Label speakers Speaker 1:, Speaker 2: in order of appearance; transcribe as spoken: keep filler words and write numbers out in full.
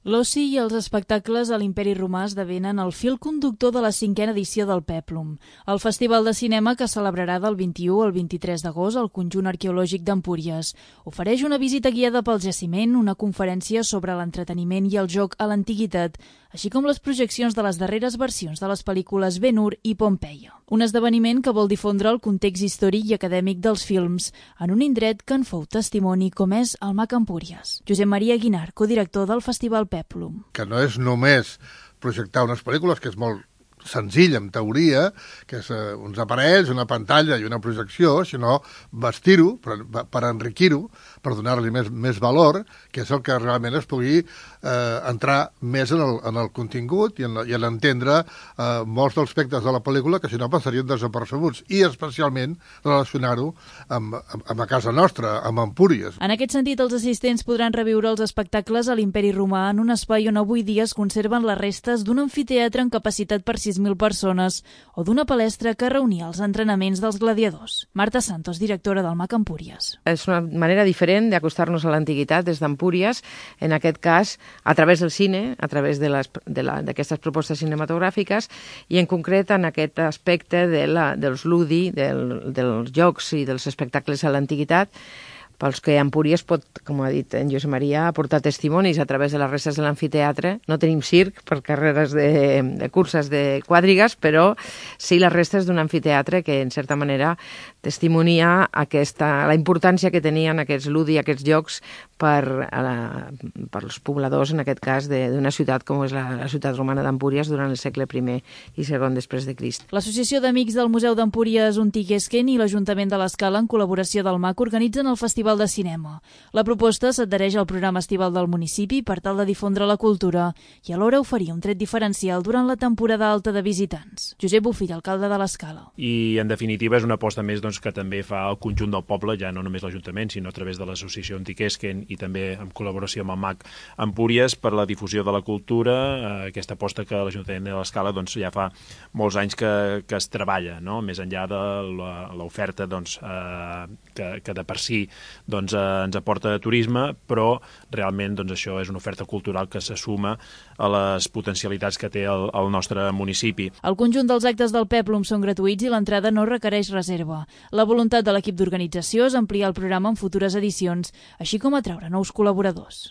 Speaker 1: L'oci i els espectacles a l'Imperi Romà esdevenen el fil conductor de la cinquena edició del Pèplum, el festival de cinema que celebrarà del vint-i-u al vint-i-tres d'agost al conjunt arqueològic d'Empúries. Ofereix una visita guiada pel jaciment, una conferència sobre l'entreteniment i el joc a l'antiguitat, així com les projeccions de les darreres versions de les pel·lícules Ben-Hur i Pompeia. Un esdeveniment que vol difondre el context històric i acadèmic dels films en un indret que en fou testimoni com és el Mac Empúries. Josep Maria Guinar, codirector del Festival Pèplum.
Speaker 2: Que no és només projectar unes pel·lícules, que és molt senzill, en teoria, que és uh, uns aparells, una pantalla i una projecció, sinó vestir-ho per, per enriquir-ho, per donar-li més, més valor, que és el que realment es pugui eh, entrar més en el, en el contingut i en, i en entendre eh, molts dels aspectes de la pel·lícula que si no passarien desapercebuts, i especialment relacionar-ho amb, amb, amb a casa nostra, amb Empúries.
Speaker 1: En aquest sentit, els assistents podran reviure els espectacles a l'Imperi Romà en un espai on avui dia es conserven les restes d'un amfiteatre amb capacitat per sis mil persones o d'una palestra que reunia els entrenaments dels gladiadors. Marta Santos, directora del Mac Empúries.
Speaker 3: És una manera diferent d'acostar-nos a l'antiguitat des d'Empúries, en aquest cas a través del cine, a través de les, de la, d'aquestes propostes cinematogràfiques i en concret en aquest aspecte de la, dels ludi, del, dels jocs i dels espectacles a l'antiguitat, pels que Empúries pot, com ha dit en Josep Maria, aportar testimonis a través de les restes de l'amfiteatre. No tenim circ per carreres de, de curses de quadrigues, però sí les restes d'un amfiteatre que, en certa manera, testimonia aquesta, la importància que tenien aquests ludi, aquests jocs per, a la, per als pobladors, en aquest cas, d'una ciutat com és la, la ciutat romana d'Empúries durant el segle primer i segon després de Crist.
Speaker 1: L'Associació d'Amics del Museu d'Empúries Untiguesquen i l'Ajuntament de l'Escala, en col·laboració del Mac, organitzen el Festival de Cinema. La proposta s'adhereix al programa estival del municipi per tal de difondre la cultura i alhora oferir un tret diferencial durant la temporada alta de visitants. Josep Bofill, alcalde de l'Escala.
Speaker 4: I, en definitiva, és una aposta més doncs, que també fa el conjunt del poble, ja no només l'Ajuntament, sinó a través de l'Associació Untiguesquen i també en col·laboració amb el Mac Empúries per la difusió de la cultura, eh, aquesta aposta que l'Ajuntament de l'Escala doncs, ja fa molts anys que, que es treballa, no? Més enllà de l'oferta doncs, eh, que, que de per si doncs, eh, ens aporta turisme, però realment doncs, això és una oferta cultural que se suma a les potencialitats que té el, el nostre municipi.
Speaker 1: El conjunt dels actes del Pèplum són gratuïts i l'entrada no requereix reserva. La voluntat de l'equip d'organització és ampliar el programa en futures edicions, així com atraure nous col·laboradors.